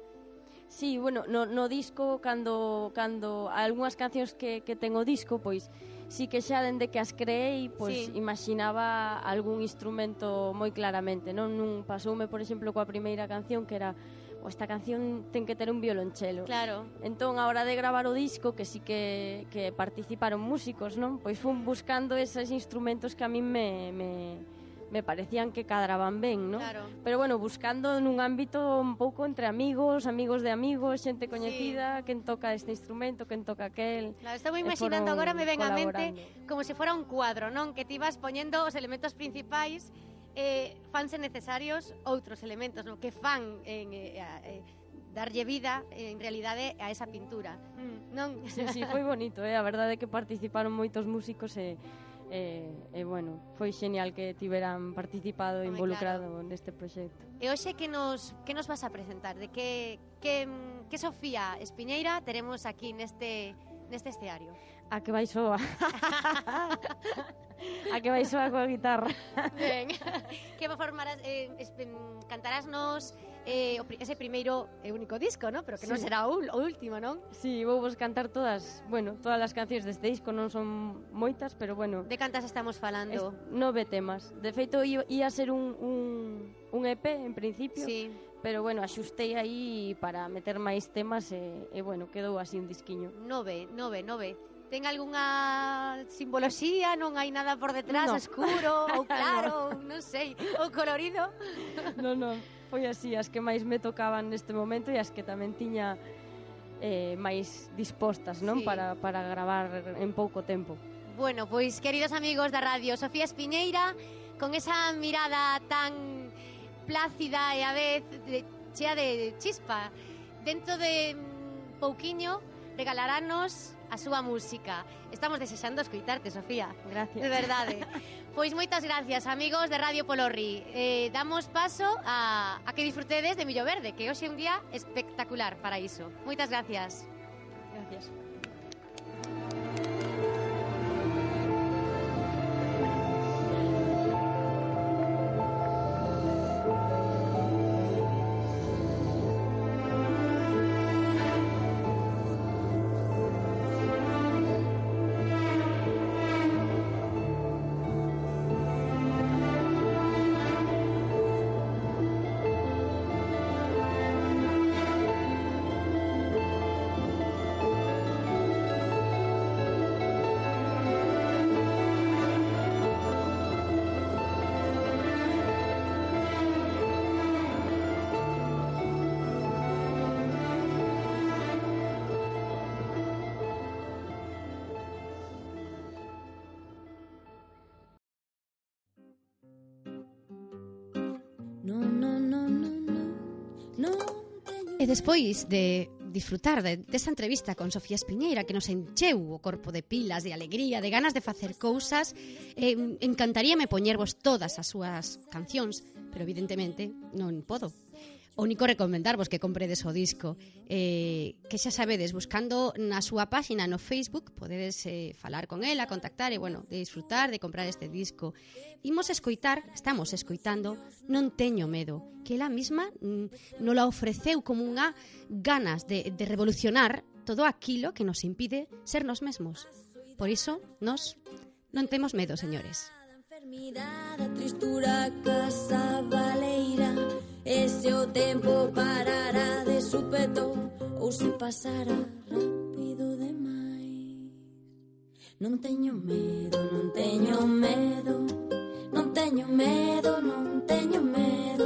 Sí, bueno, no, no disco, cando, cando algunhas cancións que, que ten o disco, pois sí que xa dende que as creei, pois Sí. imaginaba algún instrumento moi claramente, non? Nun pasoume, por exemplo, coa primeira canción que era, o esta canción ten que ter un violonchelo. Claro. Entón, a hora de gravar o disco, que sí que, que participaron músicos, non? Pois fun buscando eses instrumentos que a min me, me, me parecían que cadraban ben, non? Claro. Pero bueno, buscando nun ámbito un pouco entre amigos, amigos de amigos, xente coñecida, quen toca este instrumento, quen toca aquel. Claro, estou E imaginando, foron agora me ven a mente colaborando. como se fora un cuadro, non? Que ti vas poñendo os elementos principais, eh, fanse necesarios outros elementos, non? Que fan en, eh, eh, darlle vida, en realidade, a esa pintura. Mm, non? Sí, sí, foi bonito, eh? A verdade é que participaron moitos músicos e, e, e bueno, foi genial que tiveran participado e Home, involucrado neste proxecto. E hoxe que nos, que nos vas a presentar? De que, que, que Sofía Espiñeira teremos aquí neste, neste escenario? A que vai soa. A que vai soa coa guitarra. Ben, que formarás, eh, es, cantarásnos eh, o, ese primeiro e único disco, ¿no? Pero que non Sí. será o, o último, non? Sí, vou vos cantar todas, bueno, todas as cancións deste disco, non son moitas, pero bueno, De cantas estamos es, falando? nove temas. De feito, ia, ia ser un, un, un E P en principio, Sí. pero bueno, axustei aí para meter máis temas e, e bueno, quedou así un disquiño. Nove, nove, nove. Ten algunha simboloxía? Non hai nada por detrás, No. escuro ou claro, ou non sei, ou colorido? Non, non, foi así, as que máis me tocaban neste momento e as que tamén tiña eh, máis dispostas, non? Sí. Para, para gravar en pouco tempo. Bueno, pois, queridos amigos da radio, Sofía Espiñeira, con esa mirada tan plácida e a vez de, chea de chispa, dentro de mm, pouquiño regalarános a súa música. Estamos desexando escoitarte, Sofía. Gracias. De verdade. Pois moitas gracias, amigos de Radio Polorri. Eh, damos paso a, a que disfrutedes de Millo Verde, que hoxe é un día espectacular para iso. Moitas gracias. Gracias. No, no, no, no, no, no teño E despois de disfrutar de, desta entrevista con Sofía Espiñeira, que nos encheu o corpo de pilas, de alegría, de ganas de facer cousas, eh, encantaríame poñervos todas as súas cancións, pero evidentemente non podo. O único recomendarvos que compredes o disco, eh, que xa sabedes, buscando na súa páxina no Facebook podedes eh, falar con ela, contactar e, bueno, de disfrutar, de comprar este disco. Imos escoitar, estamos escoitando Non teño medo, que ela mesma mm, nos la ofreceu como unha ganas de, de revolucionar todo aquilo que nos impide ser nos mesmos. Por iso, nos non temos medo, señores. enfermidade, a tristura, a casa baleira. E se o tempo parara de súpeto ou se pasara rápido demais. Non teño medo, non teño medo, non teño medo, non teño medo.